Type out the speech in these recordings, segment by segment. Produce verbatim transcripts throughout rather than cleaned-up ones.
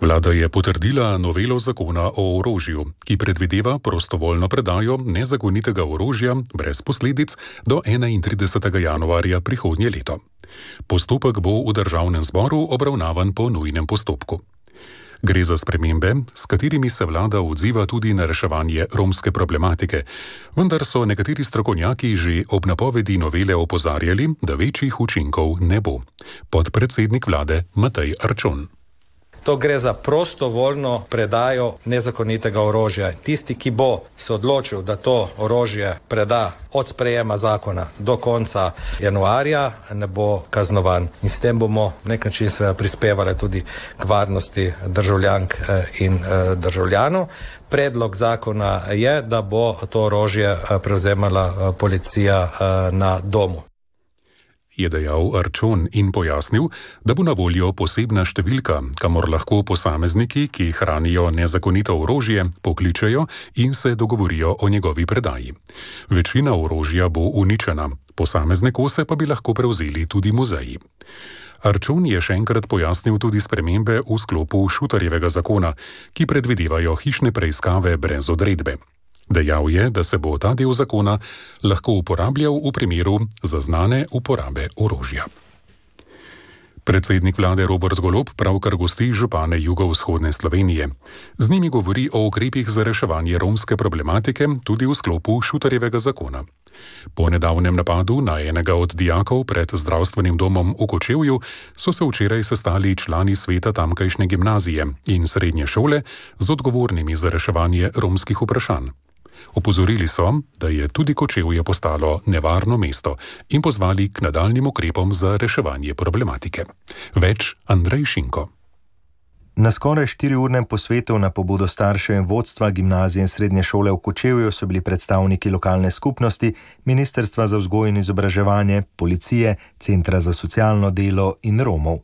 Vlada je potrdila novelo zakona o orožju, ki predvideva prostovoljno predajo nezakonitega orožja brez posledic do enaintridesetega januarja prihodnje leto. Postopek bo v državnem zboru obravnavan po nujnem postopku. Gre za spremembe, s katerimi se vlada odziva tudi na reševanje romske problematike, vendar so nekateri strokovnjaki že ob napovedi novele opozarjali, da večjih učinkov ne bo. Podpredsednik vlade Matej Arčon. To gre za prostovoljno predajo nezakonitega orožja. Tisti, ki bo se odločil, da to orožje preda od sprejema zakona do konca januarja, ne bo kaznovan. In s tem bomo nek način seveda prispevali tudi k varnosti državljank in državljanov. Predlog zakona je, da bo to orožje prevzemala policija na domu. Je dejal Arčon in pojasnil, da bo na voljo posebna številka, kamor lahko posamezniki, ki hranijo nezakonito orožje, pokličejo in se dogovorijo o njegovi predaji. Večina orožja bo uničena, posamezne kose pa bi lahko prevzeli tudi muzeji. Arčon je še enkrat pojasnil tudi spremembe v sklopu Šutarjevega zakona, ki predvidevajo hišne preiskave brez odredbe. Dejal je, da se bo ta del zakona lahko uporabljal v primeru zaznane uporabe orožja. Predsednik vlade Robert Golob pravkar gosti župane jugovzhodne Slovenije. Z njimi govori o ukrepih za reševanje romske problematike tudi v sklopu Šutarjevega zakona. Po nedavnem napadu na enega od dijakov pred zdravstvenim domom v Kočevju so se včeraj sestali člani sveta tamkajšnje gimnazije in srednje šole z odgovornimi za reševanje romskih vprašanj. Opozorili so, da je tudi Kočevje postalo nevarno mesto in pozvali k nadaljnjim ukrepom za reševanje problematike. Več Andrej Šinko. Na skoraj štiriurnem posvetu na pobudo staršev in vodstva gimnazije in srednje šole v Kočevju so bili predstavniki lokalne skupnosti, Ministrstva za vzgojo in izobraževanje, policije, Centra za socialno delo in Romov.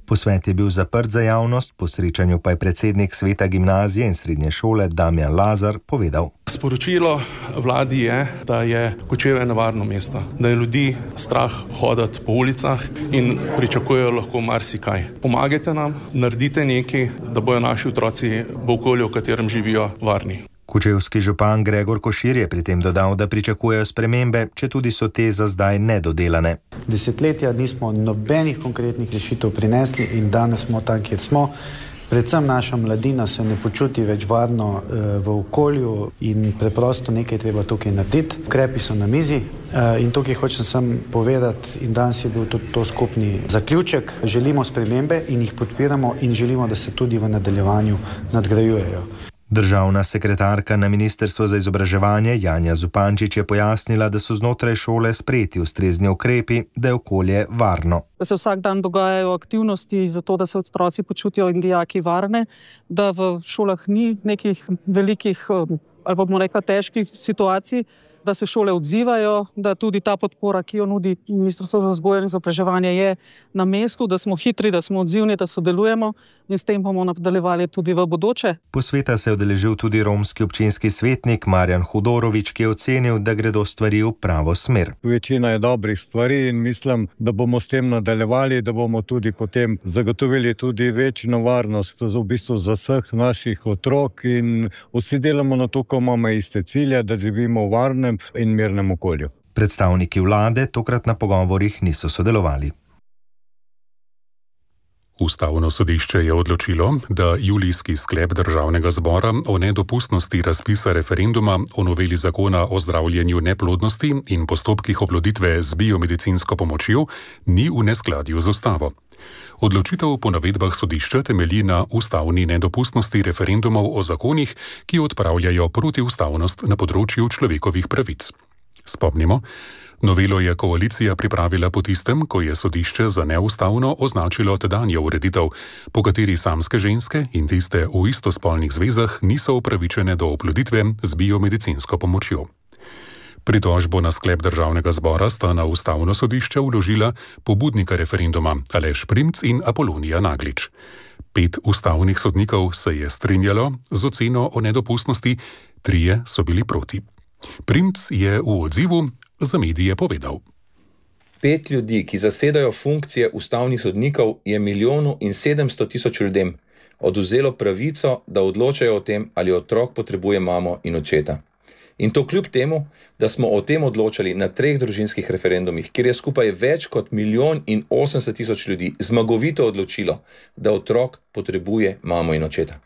Posvet je bil zaprt za javnost, po srečanju pa je predsednik sveta gimnazije in srednje šole Damjan Lazar povedal. Sporočilo vladi je, da je Kočevje nevarno mesto, da je ljudi strah hoditi po ulicah in pričakujejo lahko marsikaj. Pomagajte nam, naredite nekaj, da bojo naši otroci v okolju, v katerem živijo, varni. Kočevski župan Gregor Košir je pri tem dodal, da pričakujejo spremembe, četudi so te za zdaj nedodelane. Desetletja nismo nobenih konkretnih rešitev prinesli in danes smo tam, kjer smo. Predvsem naša mladina se ne počuti več varno v okolju in preprosto nekaj treba tukaj narediti. Ukrepi so na mizi in tukaj hočem sem povedati in danes je bil tudi to skupni zaključek. Želimo spremembe in jih podpiramo in želimo, da se tudi v nadaljevanju nadgrajujejo. Državna sekretarka na Ministrstvu za izobraževanje Janja Zupančič je pojasnila, da so znotraj šole sprejeti ustrezni ukrepi, da je okolje varno. Da se vsak dan dogajajo aktivnosti za to, da se otroci počutijo in dijaki varne, da v šolah ni nekih velikih ali bomo rekla težkih situacij, da se šole odzivajo, da tudi ta podpora, ki jo nudi Ministrstvo za vzgojo in izobraževanje, je na mestu, da smo hitri, da smo odzivni, da sodelujemo in s tem bomo nadaljevali tudi v bodoče. Posveta se je udeležil tudi romski občinski svetnik Marjan Hudorovič, ki je ocenil, da gredo stvari v pravo smer. Večina je dobrih stvari in mislim, da bomo s tem nadaljevali, da bomo tudi potem zagotovili tudi večjo varnost v bistvu za vseh naših otrok in vsi delamo na to, ko imamo iste cilje, da živimo v varnem in mirnem okolju. Predstavniki vlade tokrat na pogovorih niso sodelovali. Ustavno sodišče je odločilo, da julijski sklep državnega zbora o nedopustnosti razpisa referenduma o noveli zakona o zdravljenju neplodnosti in postopkih oploditve z biomedicinsko pomočjo ni v neskladju z ustavo. Odločitev po navedbah sodišča temelji na ustavni nedopustnosti referendumov o zakonih, ki odpravljajo protiustavnost na področju človekovih pravic. Spomnimo, novelo je koalicija pripravila po tistem, ko je sodišče za neustavno označilo tedanjo ureditev, po kateri samske ženske in tiste v istospolnih zvezah niso upravičene do oploditve z biomedicinsko pomočjo. Pritožbo na sklep državnega zbora sta na ustavno sodišče vložila pobudnika referenduma Aleš Primc in Apolonija Naglič. Pet ustavnih sodnikov se je strinjalo z oceno o nedopustnosti, trije so bili proti. Primc je v odzivu za medije povedal. Pet ljudi, ki zasedajo funkcije ustavnih sodnikov, je milijonu in sedemsto tisoč ljudem. odvzelo pravico, da odločajo o tem, ali otrok potrebuje mamo in očeta. In to kljub temu, da smo o tem odločali na treh družinskih referendumih, kjer je skupaj več kot milijon in osemdeset tisoč ljudi zmagovito odločilo, da otrok potrebuje mamo in očeta.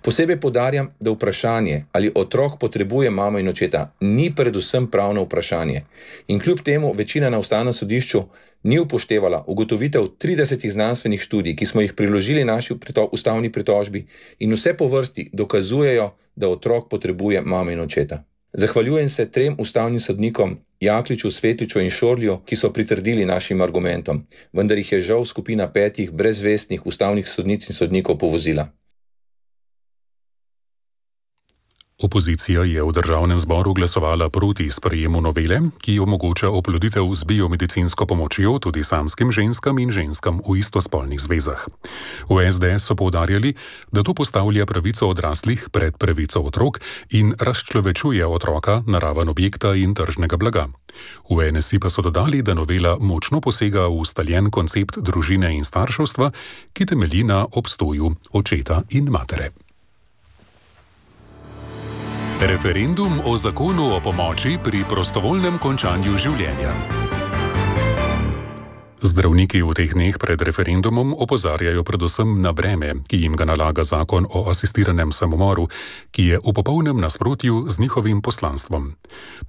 Posebej poudarjam, da vprašanje, ali otrok potrebuje mamo in očeta, ni predvsem pravno vprašanje. In kljub temu večina na Ustavnem sodišču ni upoštevala ugotovitev tridesetih znanstvenih študij, ki smo jih priložili naši prito- ustavni pritožbi in vse po vrsti dokazujejo, da otrok potrebuje mamo in očeta. Zahvaljujem se trem ustavnim sodnikom, Jakliču, Svetliču in Šorlju, ki so pritrdili našim argumentom, vendar jih je žal skupina petih brezvestnih ustavnih sodnic in sodnikov povozila. Opozicija je v državnem zboru glasovala proti sprejemu novele, ki omogoča oploditev z biomedicinsko pomočjo tudi samskim ženskam in ženskam v istospolnih zvezah. V es de es so poudarjali, da to postavlja pravico odraslih pred pravico otrok in razčlovečuje otroka, naraven objekta in tržnega blaga. V en es i pa so dodali, da novela močno posega v ustaljen koncept družine in starševstva, ki temelji na obstoju očeta in matere. Referendum o zakonu o pomoči pri prostovoljnem končanju življenja. Zdravniki v teh dneh pred referendumom opozarjajo predvsem na breme, ki jim ga nalaga zakon o asistiranem samomoru, ki je v popolnem nasprotju z njihovim poslanstvom.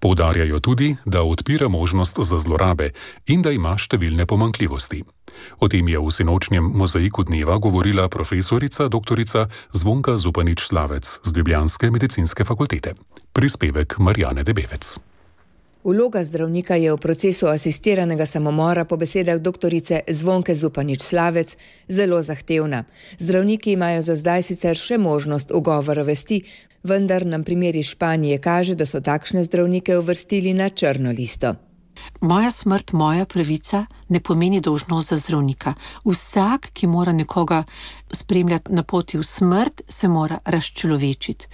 Poudarjajo tudi, da odpira možnost za zlorabe in da ima številne pomanjkljivosti. O tem je v sinočnjem mozaiku dneva govorila profesorica doktorica Zvonka Zupanič-Slavec z ljubljanske medicinske fakultete. Prispevek Marjane Debevec. Vloga zdravnika je v procesu asistiranega samomora po besedah doktorice Zvonke Zupanič-Slavec zelo zahtevna. Zdravniki imajo za zdaj sicer še možnost ugovora vesti, vendar nam primer iz Španije kaže, da so takšne zdravnike uvrstili na črno listo. Moja smrt, moja pravica ne pomeni dolžnost za zdravnika. Vsak, ki mora nekoga spremljati na poti v smrt, se mora razčlovečiti.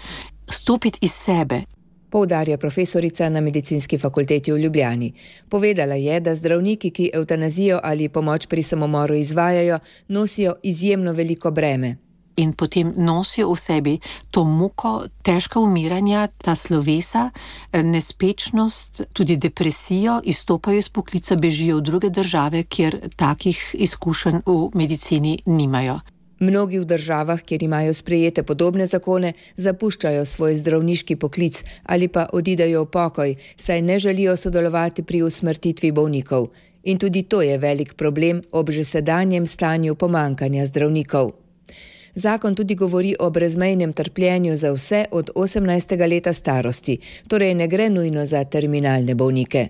Stopiti iz sebe. Poudarja profesorica na medicinski fakulteti v Ljubljani. Povedala je, da zdravniki, ki evtanazijo ali pomoč pri samomoru izvajajo, nosijo izjemno veliko breme. In potem nosijo v sebi to muko, težka umiranja, ta slovesa, nespečnost, tudi depresijo, izstopajo iz poklica, bežijo v druge države, kjer takih izkušenj v medicini nimajo. Mnogi v državah, kjer imajo sprejete podobne zakone, zapuščajo svoj zdravniški poklic ali pa odidejo v pokoj, saj ne želijo sodelovati pri usmrtitvi bolnikov. In tudi to je velik problem ob že sedanjem stanju pomanjkanja zdravnikov. Zakon tudi govori o brezmejnem trpljenju za vse od osemnajstega leta starosti, torej ne gre nujno za terminalne bolnike.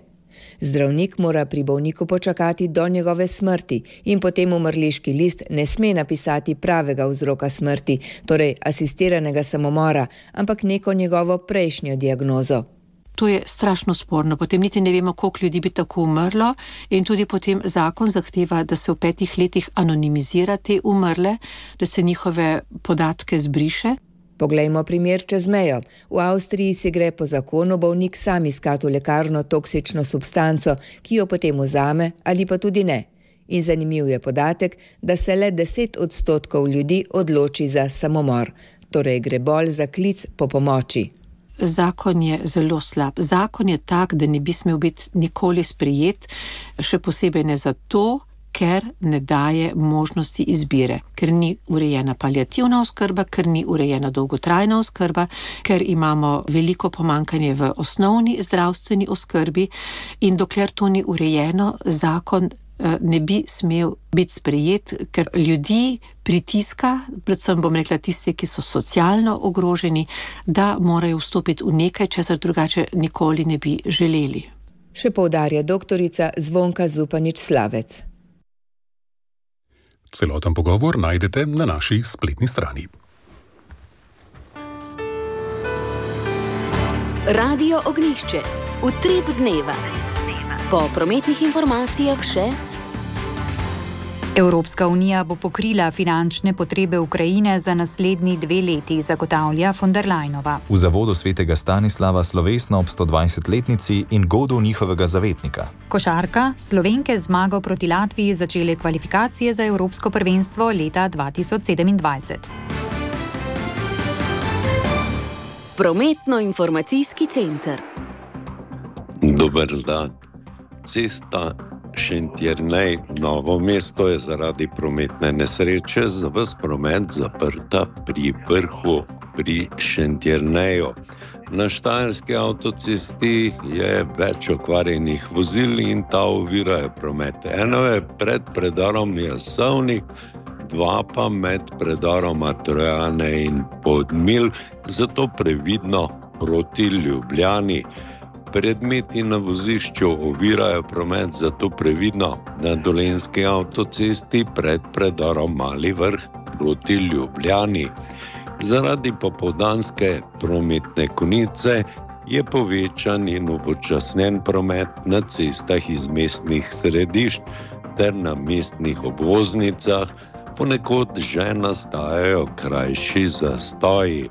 Zdravnik mora pri bolniku počakati do njegove smrti in potem umrliški list ne sme napisati pravega vzroka smrti, torej asistiranega samomora, ampak neko njegovo prejšnjo diagnozo. To je strašno sporno, potem niti ne vemo, koliko ljudi bi tako umrlo in tudi potem zakon zahteva, da se v petih letih anonimizira te umrle, da se njihove podatke zbriše. Poglejmo primer čez mejo. V Avstriji si gre po zakonu bolnik sam iskati v lekarno toksično substanco, ki jo potem vzame ali pa tudi ne. In zanimiv je podatek, da se le deset odstotkov ljudi odloči za samomor, torej gre bolj za klic po pomoči. Zakon je zelo slab. Zakon je tak, da ne bi smel biti nikoli sprejet, še posebej ne zato, ker ne daje možnosti izbire, ker ni urejena paliativna oskrba, ker ni urejena dolgotrajna oskrba, ker imamo veliko pomanjkanje v osnovni zdravstveni oskrbi in dokler to ni urejeno, zakon ne bi smel biti sprejet, ker ljudi pritiska, predvsem bom rekla tiste, ki so socialno ogroženi, da morajo vstopiti v nekaj, česar drugače nikoli ne bi želeli. Še poudarja doktorica Zvonka Zupanič-Slavec. Celoten pogovor najdete na naši spletni strani. Radio Ognjišče. Utrip dneva. Po prometnih informacijah še: Evropska unija bo pokrila finančne potrebe Ukrajine za naslednji dve leti, zagotavlja von der Leyenova. V zavodu svetega Stanislava slovesno ob stodvajsetletnici in godu njihovega zavetnika. Košarka, Slovenke zmago proti Latviji začele kvalifikacije za Evropsko prvenstvo leta dva tisoč sedemindvajset. Prometno-informacijski center. Dober dan. Cesta Šentjernej Novo mesto je zaradi prometne nesreče za ves promet zaprta pri vrhu pri Šentjerneju. Na štajerski avtocesti je več okvarjenih vozil in ta ovirajo promet. Eno je pred predarom Jasovnik, dva pa med predaroma Trojane in Podmilj, zato previdno proti Ljubljani. Predmeti na vozišču ovirajo promet, zato previdno na dolenjski avtocesti pred predarom Mali Vrh proti Ljubljani. Zaradi popoldanske prometne konice je povečan in upočasnjen promet na cestah iz mestnih središč ter na mestnih obvoznicah, ponekod že nastajajo krajši zastoji.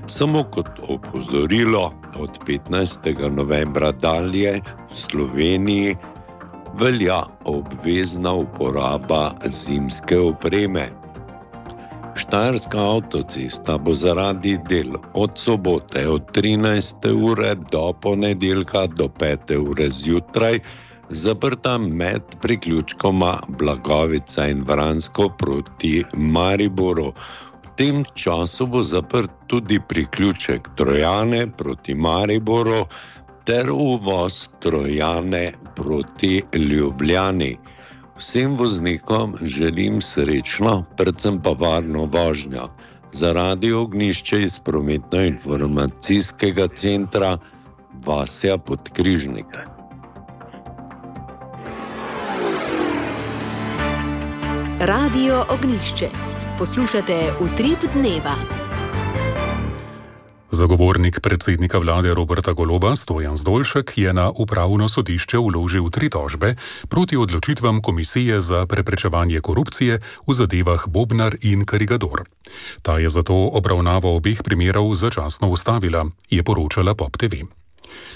Samo kot opozorilo, od petnajstega novembra dalje v Sloveniji velja obvezna uporaba zimske opreme. Štajerska avtocesta bo zaradi del od sobote od trinajste ure do ponedeljka do pete ure zjutraj zaprta med priključkoma Blagovica in Vransko proti Mariboru. V tem času bo zaprt tudi priključek Trojane proti Mariboru ter uvoz Trojane proti Ljubljani. Vsem voznikom želim srečno, predvsem pa varno vožnjo. Za Radio Ognjišče iz Prometno-informacijskega centra Vasja Podkrižnik. Radio Ognjišče. Poslušate Utrip dneva. Zagovornik predsednika vlade Roberta Goloba, Stojan Zdolšek, je na upravno sodišče vložil tri tožbe proti odločitvam Komisije za preprečevanje korupcije v zadevah Bobnar in Karigador. Ta je zato obravnavo obeh primerov začasno ustavila, je poročala Pop te ve.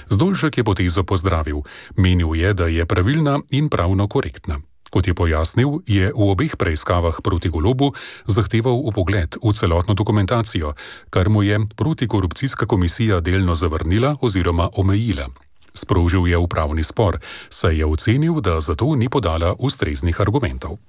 Zdolšek je potezo pozdravil, menil je, da je pravilna in pravno korektna. Kot je pojasnil, je v obeh preiskavah proti Golobu zahteval vpogled v celotno dokumentacijo, kar mu je protikorupcijska komisija delno zavrnila oziroma omejila. Sprožil je upravni spor, saj je ocenil, da zato ni podala ustreznih argumentov.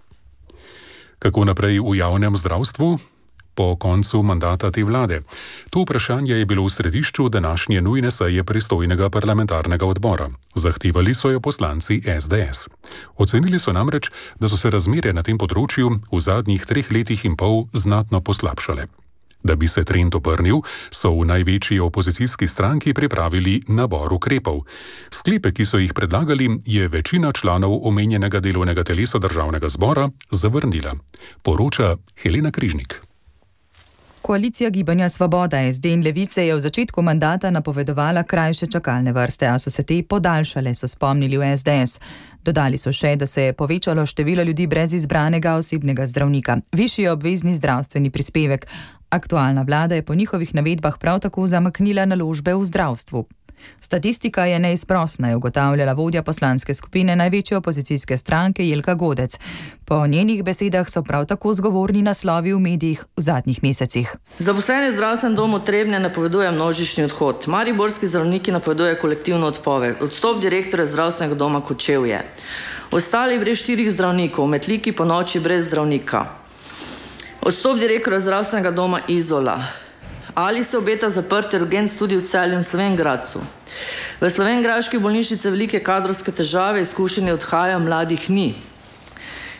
Kako naprej v javnem zdravstvu? Po koncu mandata te vlade. To vprašanje je bilo v središču današnje nujne seje pristojnega parlamentarnega odbora. Zahtevali so jo poslanci es de es. Ocenili so namreč, da so se razmere na tem področju v zadnjih treh letih in pol znatno poslabšale. Da bi se trend obrnil, so v največji opozicijski stranki pripravili nabor ukrepov. Sklepe, ki so jih predlagali, je večina članov omenjenega delovnega telesa državnega zbora zavrnila. Poroča Helena Križnik. Koalicija Gibanja Svoboda, es de in Levice je v začetku mandata napovedovala krajše čakalne vrste, a so se te podaljšale, so spomnili v es de es. Dodali so še, da se je povečalo število ljudi brez izbranega osebnega zdravnika. Višji je obvezni zdravstveni prispevek. Aktualna vlada je po njihovih navedbah prav tako zamaknila naložbe v zdravstvu. Statistika je neizprosna, je ugotavljala vodja poslanske skupine največje opozicijske stranke Jelka Godec. Po njenih besedah so prav tako zgovorni naslovi v medijih v zadnjih mesecih. Zaposleni v zdravstvenem domu Trebnje napoveduje množični odhod. Mariborski zdravniki napoveduje kolektivno odpoved. Odstop direktorja zdravstvenega doma Kočevje. Ostali brez štirih zdravnikov, v Metliki po noči brez zdravnika. Odstop direktorja zdravstvenega doma Izola. Ali se obeta zaprti urgent tudi v Celju in Slovenj Gradcu. V slovenjgraški bolnišnici velike kadrovske težave, izkušenje odhajajo, mladih ni.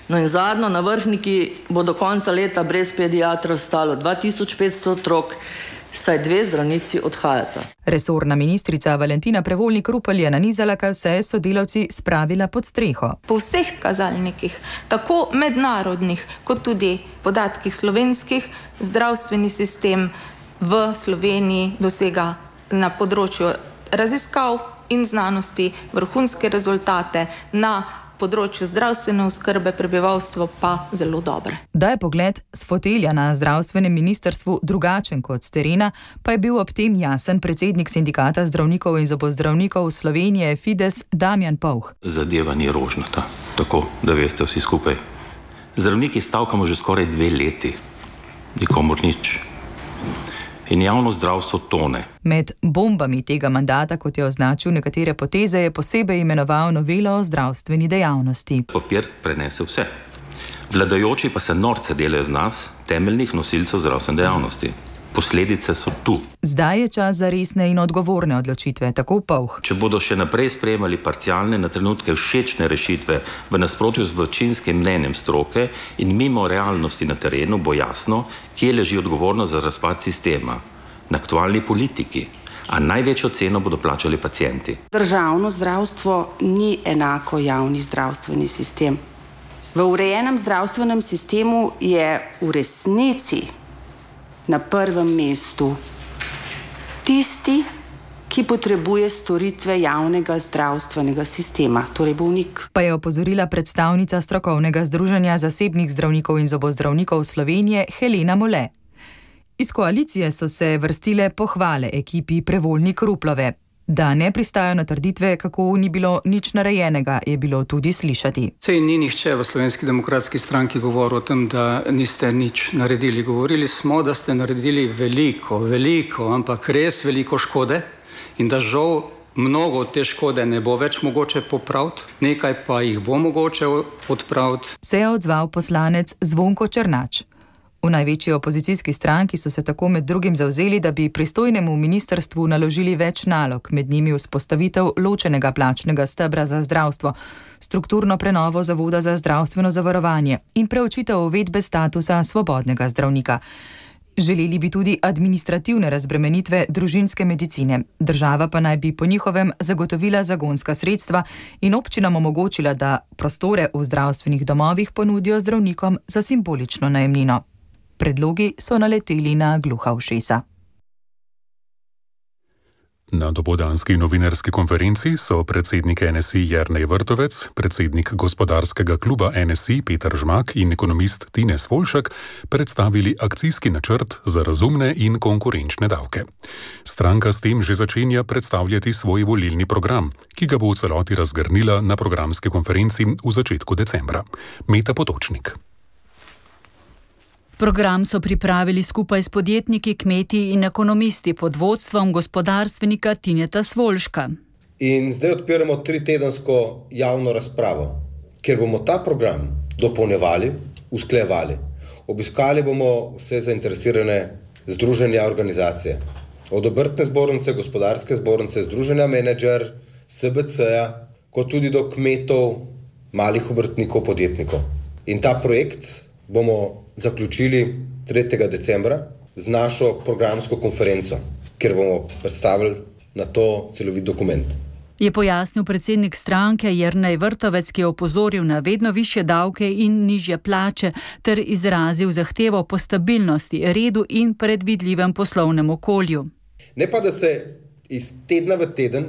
No in zadnjo, na Vrhniki bo do konca leta brez pediatra ostalo dva tisoč petsto otrok, saj dve zdravnici odhajata. Resorna ministrica Valentina Prevolnik Rupel je nanizala, kaj vse je sodelavci spravila pod streho. Po vseh kazalnikih, tako mednarodnih kot tudi podatkih slovenskih, zdravstveni sistem v Sloveniji dosega na področju raziskav in znanosti vrhunske rezultate, na področju zdravstvene oskrbe prebivalstvo pa zelo dobre. Da je pogled s fotelja na zdravstvenem ministrstvu drugačen kot s terena, pa je bil ob tem jasen predsednik sindikata zdravnikov in zobozdravnikov Slovenije Fides Damjan Povh. Zadeva ni rožnata, tako da veste vsi skupaj. Zdravniki stavkamo že skoraj dve leti, nikomur nič. in javno zdravstvo tone. Med bombami tega mandata, kot je označil nekatere poteze, je posebej imenoval novelo o zdravstveni dejavnosti. Papir prenese vse. Vladajoči pa se norce delajo z nas, temeljnih nosilcev zdravstvene dejavnosti. Posledice so tu. Zdaj je čas za resne in odgovorne odločitve, tako Povh. Če bodo še naprej sprejemali parcialne, na trenutke všečne rešitve v nasprotju z večinskim mnenjem stroke in mimo realnosti na terenu, bo jasno, kje leži odgovornost za razpad sistema. Na aktualni politiki. A največjo ceno bodo plačali pacienti. Državno zdravstvo ni enako javni zdravstveni sistem. V urejenem zdravstvenem sistemu je v resnici na prvem mestu tisti, ki potrebuje storitve javnega zdravstvenega sistema, torej bolnik. Pa je opozorila predstavnica strokovnega združenja zasebnih zdravnikov in zobozdravnikov Slovenije Helena Mole. Iz koalicije so se vrstile pohvale ekipi Prevolnik Ruplove. Da ne pristajajo na trditve, kako ni bilo nič narejenega, je bilo tudi slišati. Sej ni nihče v Slovenski demokratski stranki govoril o tem, da niste nič naredili. Govorili smo, da ste naredili veliko, veliko, ampak res veliko škode in da žal mnogo te škode ne bo več mogoče popraviti, nekaj pa jih bo mogoče odpraviti. Se je odzval poslanec Zvonko Černač. V največji opozicijski stranki so se tako med drugim zavzeli, da bi pristojnemu ministrstvu naložili več nalog, med njimi vzpostavitev ločenega plačnega stebra za zdravstvo, strukturno prenovo Zavoda za zdravstveno zavarovanje in preučitev uvedbe statusa svobodnega zdravnika. Želeli bi tudi administrativne razbremenitve družinske medicine. Država pa naj bi po njihovem zagotovila zagonska sredstva in občinam omogočila, da prostore v zdravstvenih domovih ponudijo zdravnikom za simbolično najemnino. Predlogi so naleteli na gluha ušesa. Na dopoldanski novinarski konferenci so predsednik N S I Jernej Vrtovec, predsednik gospodarskega kluba N S I Peter Žmak in ekonomist Tine Svoljšek predstavili akcijski načrt za razumne in konkurenčne davke. Stranka s tem že začenja predstavljati svoj volilni program, ki ga bo v celoti razgrnila na programski konferenci v začetku decembra. Meta Potočnik. Program so pripravili skupaj s podjetniki, kmeti in ekonomisti pod vodstvom gospodarstvenika Tineta Svoljška. In zdaj odpiramo tritedensko javno razpravo, kjer bomo ta program dopolnjevali, usklajevali. Obiskali bomo vse zainteresirane združenja, organizacije. Od obrtne zbornice, gospodarske zbornice, združenja menedžer, S B C-ja, kot tudi do kmetov, malih obrtnikov, podjetnikov. In ta projekt bomo zaključili tretjega decembra z našo programsko konferenco, kjer bomo predstavili na to celovit dokument. Je pojasnil predsednik stranke Jernej Vrtovec, ki je opozoril na vedno višje davke in nižje plače, ter izrazil zahtevo po stabilnosti, redu in predvidljivem poslovnem okolju. Ne pa, da se iz tedna v teden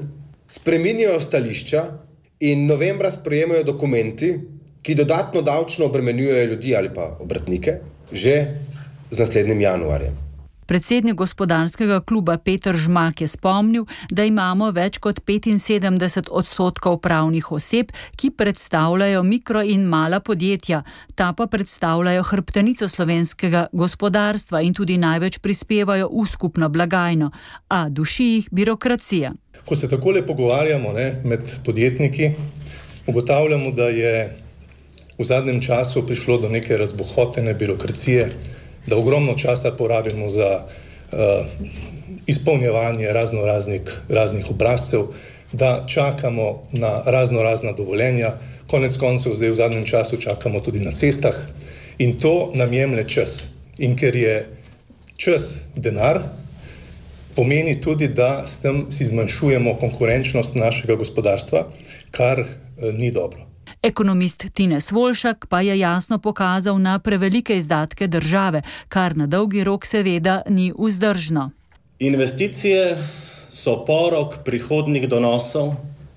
spreminjajo stališča in novembra sprejemajo dokumenti, ki dodatno davčno obremenjujejo ljudi ali pa obrtnike, že z naslednjim januarjem. Predsednik gospodarskega kluba Peter Žmak je spomnil, da imamo več kot petinsedemdeset odstotkov pravnih oseb, ki predstavljajo mikro in mala podjetja. Ta pa predstavljajo hrbtenico slovenskega gospodarstva in tudi največ prispevajo v skupno blagajno, a duši jih birokracija. Ko se takole pogovarjamo ne, med podjetniki, ugotavljamo, da je v zadnjem času prišlo do neke razbohotene birokracije, da ogromno časa porabimo za uh, izpolnjevanje razno raznih, raznih obrazcev, da čakamo na razno razna dovoljenja, konec koncev zdaj v zadnjem času čakamo tudi na cestah in to nam jemlje čas. In ker je čas denar, pomeni tudi, da s tem si zmanjšujemo konkurenčnost našega gospodarstva, kar uh, ni dobro. Ekonomist Tine Svoljšek pa je jasno pokazal na prevelike izdatke države, kar na dolgi rok seveda ni vzdržno. Investicije so porok prihodnjih donosov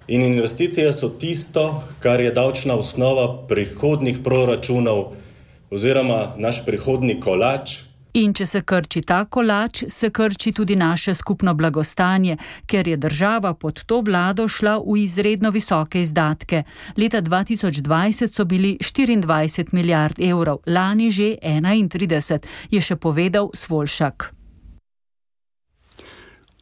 in investicije so tisto, kar je davčna osnova prihodnjih proračunov oziroma naš prihodnji kolač. In če se krči ta kolač, se krči tudi naše skupno blagostanje, ker je država pod to vlado šla v izredno visoke izdatke. Leta dva tisoč dvajset so bili štiriindvajset milijard evrov, lani že enaintrideset, je še povedal Svoljšek.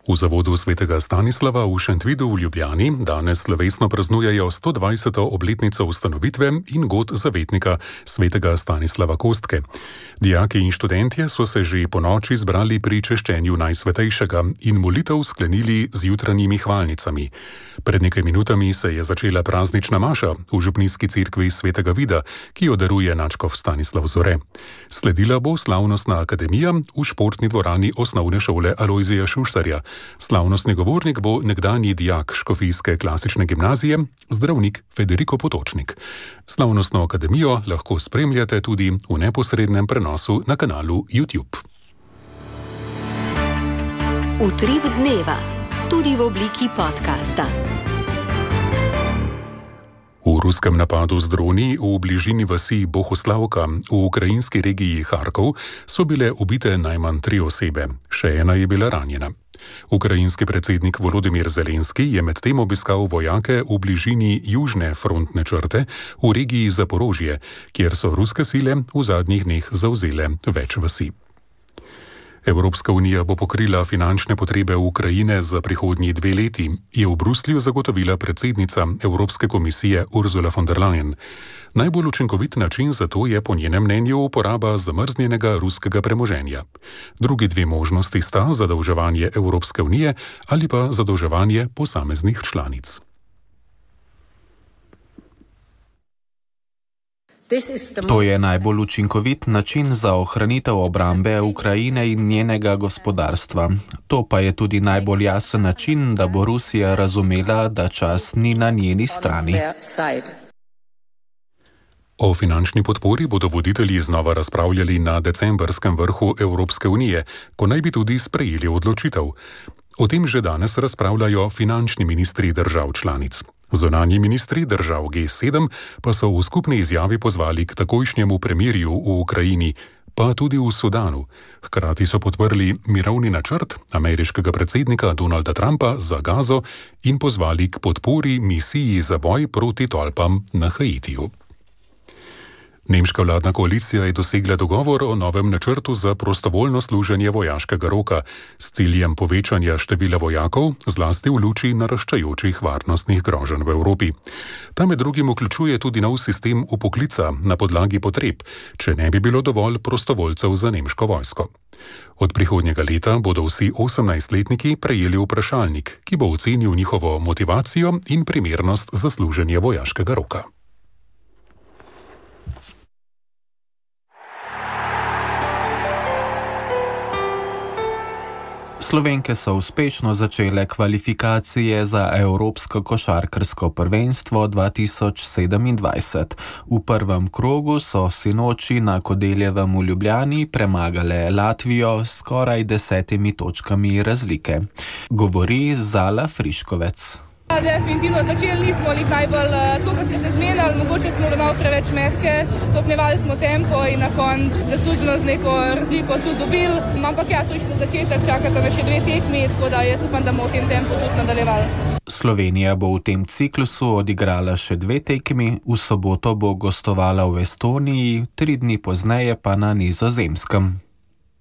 V zavodu svetega Stanislava v Šentvidu v Ljubljani danes slovesno praznujejo sto dvajseto obletnico ustanovitve in god zavetnika svetega Stanislava Kostke. Dijaki in študentje so se že po noči zbrali pri češčenju Najsvetejšega in molitev sklenili z jutranjimi hvalnicami. Pred nekaj minutami se je začela praznična maša v župnijski cerkvi svetega Vida, ki jo daruje nadškof Stanislav Zore. Sledila bo slavnostna akademija v športni dvorani osnovne šole Alojzija Šuštarja. Slavnostni govornik bo nekdanji dijak škofijske klasične gimnazije, zdravnik Federico Potočnik. Slavnostno akademijo lahko spremljate tudi v neposrednem prenosu na kanalu YouTube. Utrip dneva, tudi v obliki podcasta. V ruskem napadu z droni v bližini vasi Bohuslavka v ukrajinski regiji Harkov so bile ubite najmanj tri osebe, še ena je bila ranjena. Ukrajinski predsednik Volodimir Zelenski je medtem obiskal vojake v bližini južne frontne črte v regiji Zaporožje, kjer so ruske sile v zadnjih dneh zavzele več vasi. Evropska unija bo pokrila finančne potrebe Ukrajine za prihodnji dve leti, je v Bruslju zagotovila predsednica Evropske komisije Ursula von der Leyen. Najbolj učinkovit način za to je po njenem mnenju uporaba zamrznjenega ruskega premoženja. Drugi dve možnosti sta zadolževanje Evropske unije ali pa zadolževanje posameznih članic. To je najbolj učinkovit način za ohranitev obrambe Ukrajine in njenega gospodarstva. To pa je tudi najbolj jasen način, da bo Rusija razumela, da čas ni na njeni strani. O finančni podpori bodo voditelji znova razpravljali na decembrskem vrhu Evropske unije, ko naj bi tudi sprejeli odločitev. O tem že danes razpravljajo finančni ministri držav članic. Zunanji ministri držav G sedem pa so v skupni izjavi pozvali k takojšnjemu premirju v Ukrajini, pa tudi v Sudanu. Hkrati so podprli mirovni načrt ameriškega predsednika Donalda Trumpa za Gazo in pozvali k podpori misiji za boj proti tolpam na Haitiju. Nemška vladna koalicija je dosegla dogovor o novem načrtu za prostovoljno služenje vojaškega roka s ciljem povečanja števila vojakov, zlasti v luči naraščajočih varnostnih groženj v Evropi. Ta med drugim vključuje tudi nov sistem upoklica na podlagi potreb, če ne bi bilo dovolj prostovoljcev za nemško vojsko. Od prihodnjega leta bodo vsi osemnajstletniki prejeli vprašalnik, ki bo ocenil njihovo motivacijo in primernost za služenje vojaškega roka. Slovenke so uspešno začele kvalifikacije za Evropsko košarkarsko prvenstvo dva tisoč sedemindvajset. V prvem krogu so sinoči na Kodeljevem v Ljubljani premagale Latvijo s skoraj desetimi točkami razlike. Govori Zala Friškovec. Definitivno začeli nismo lih najbolj tako, kot smo se zmenili, mogoče smo malo preveč mehke, stopnjevali smo tempo in na koncu zasluženo z neko razliko tudi dobili. Ampak ja, to je še začetek, čakata me še dve tekmi, tako da jaz upam, da bomo v tem tempu tudi nadaljevali. Slovenija bo v tem ciklusu odigrala še dve tekmi, v soboto bo gostovala v Estoniji, tri dni pozneje pa na Nizozemskem.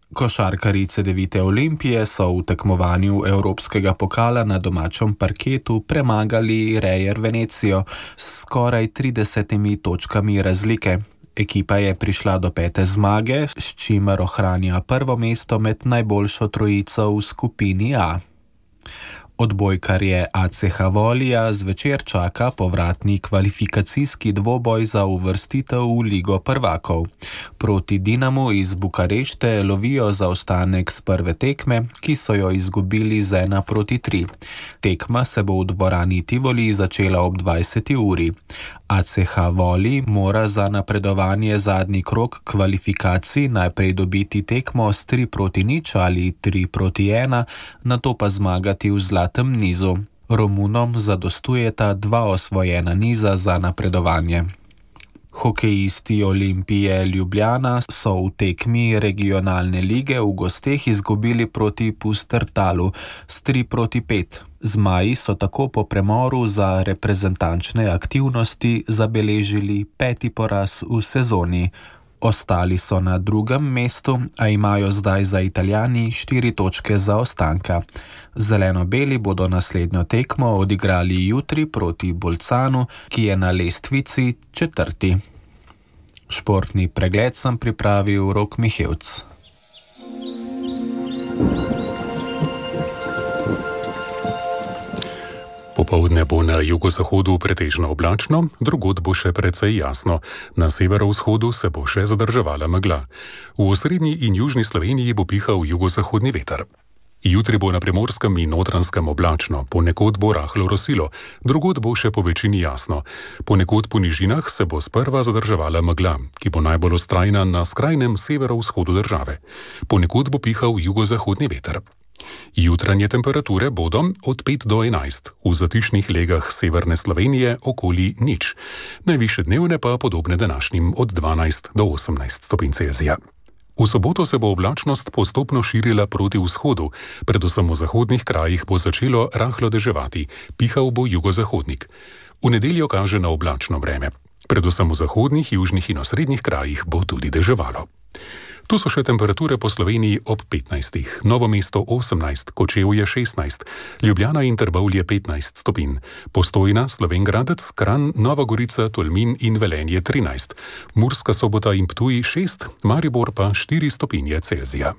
Košarkarji Cedevite Olimpije so v tekmovanju Evropskega pokala na domačem parketu premagali Reyer Venecijo s skoraj tridesetimi točkami razlike. Ekipa je prišla do pete zmage, s čimer ohranja prvo mesto med najboljšo trojico v skupini A. Odbojkarje A C H Volija zvečer čaka povratni kvalifikacijski dvoboj za uvrstitev v Ligo prvakov. Proti Dinamu iz Bukarešte lovijo zaostanek z prve tekme, ki so jo izgubili z ena proti tri. Tekma se bo v dvorani Tivoli začela ob dvajseti uri. A C H Voli mora za napredovanje zadnji krog kvalifikacij najprej dobiti tekmo s tri proti nič ali tri proti ena, nato pa zmagati v zlatem nizu. Romunom zadostujeta dva osvojena niza za napredovanje. Hokejisti Olimpije Ljubljana so v tekmi regionalne lige v gosteh izgubili proti Pustertalu s tri proti pet. Zmaji so tako po premoru za reprezentančne aktivnosti zabeležili peti poraz v sezoni. Ostali so na drugem mestu, a imajo zdaj za Italijani štiri točke zaostanka. Zeleno-beli bodo naslednjo tekmo odigrali jutri proti Bolcanu, ki je na lestvici četrti. Športni pregled sem pripravil Rok Mihevc. Popoldne bo na jugozahodu pretežno oblačno, drugod bo še precej jasno. Na severovzhodu se bo še zadrževala megla. V osrednji in južni Sloveniji bo pihal jugozahodni veter. Jutri bo na Primorskem in Notranjskem oblačno, ponekod bo rahlo rosilo, drugod bo še po večini jasno. Ponekod po nižinah se bo sprva zadrževala megla, ki bo najbolj ostrajna na skrajnem severovzhodu države. Ponekod bo pihal jugozahodni veter. Jutranje temperature bodo od pet do enajst, v zatišnih legah severne Slovenije okoli nič. Najvišje dnevne pa podobne današnjim od dvanajst do osemnajst stopinj Celzija. V soboto se bo oblačnost postopno širila proti vzhodu, predvsem v zahodnih krajih bo začelo rahlo deževati, pihal bo jugozahodnik. V nedeljo kaže na oblačno vreme. Predvsem v zahodnih, južnih in osrednjih krajih bo tudi deževalo. Tu so še temperature po Sloveniji ob petnajstih, Novo mesto osemnajst, Kočevje šestnajst, Ljubljana in Trbovlje petnajst stopinj, Postojna, Slovenj Gradec, Kranj, Nova Gorica, Tolmin in Velenje trinajst, Murska Sobota in Ptuj šest, Maribor pa štiri stopinje Celzija.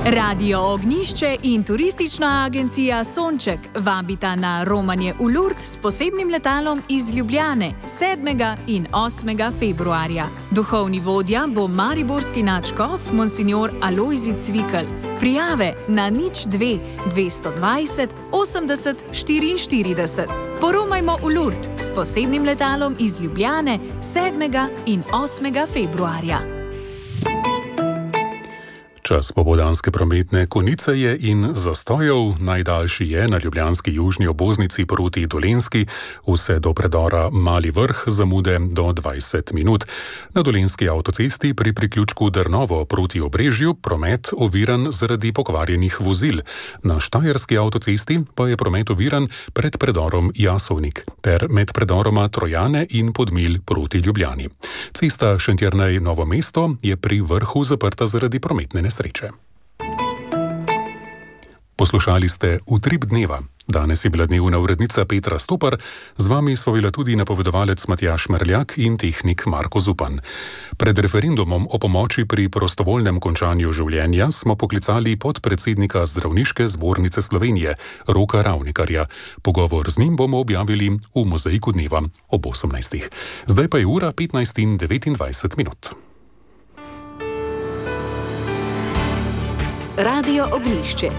Radio Ognjišče in turistična agencija Sonček vabita na romanje v Lourdes s posebnim letalom iz Ljubljane sedmega in osmega februarja. Duhovni vodja bo mariborski nadškof monsignor Alojzij Cvikl. Prijave na nič dve dvesto dvajset osemdeset štiriinštirideset. Poromajmo v Lourdes s posebnim letalom iz Ljubljane sedmega in osmega februarja. Čas popoldanske prometne konice je in zastojev. Najdaljši je na ljubljanski južni obvoznici proti Dolenjski, vse do predora Mali Vrh, zamude do dvajset minut. Na dolenjski avtocesti pri priključku Drnovo proti Obrežju promet oviran zaradi pokvarjenih vozil. Na štajerski avtocesti pa je promet oviran pred predorom Jasovnik ter med predoroma Trojane in Podmilj proti Ljubljani. Cesta Šentjernej-Novo mesto je pri vrhu zaprta zaradi prometne nesreče. Sreče. Poslušali ste Utrip dneva. Danes je bila dnevna urednica Petra Stopar, z vami sva bila tudi napovedovalec Matjaž Merljak in tehnik Marko Zupan. Pred referendumom o pomoči pri prostovoljnem končanju življenja smo poklicali podpredsednika Zdravniške zbornice Slovenije, Roka Ravnikarja. Pogovor z njim bomo objavili v Mozaiku dneva ob osemnajstih. Zdaj pa je ura petnajst in devetindvajset minut. Radio Ognjišče.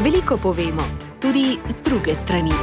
Veliko povemo, tudi z druge strani.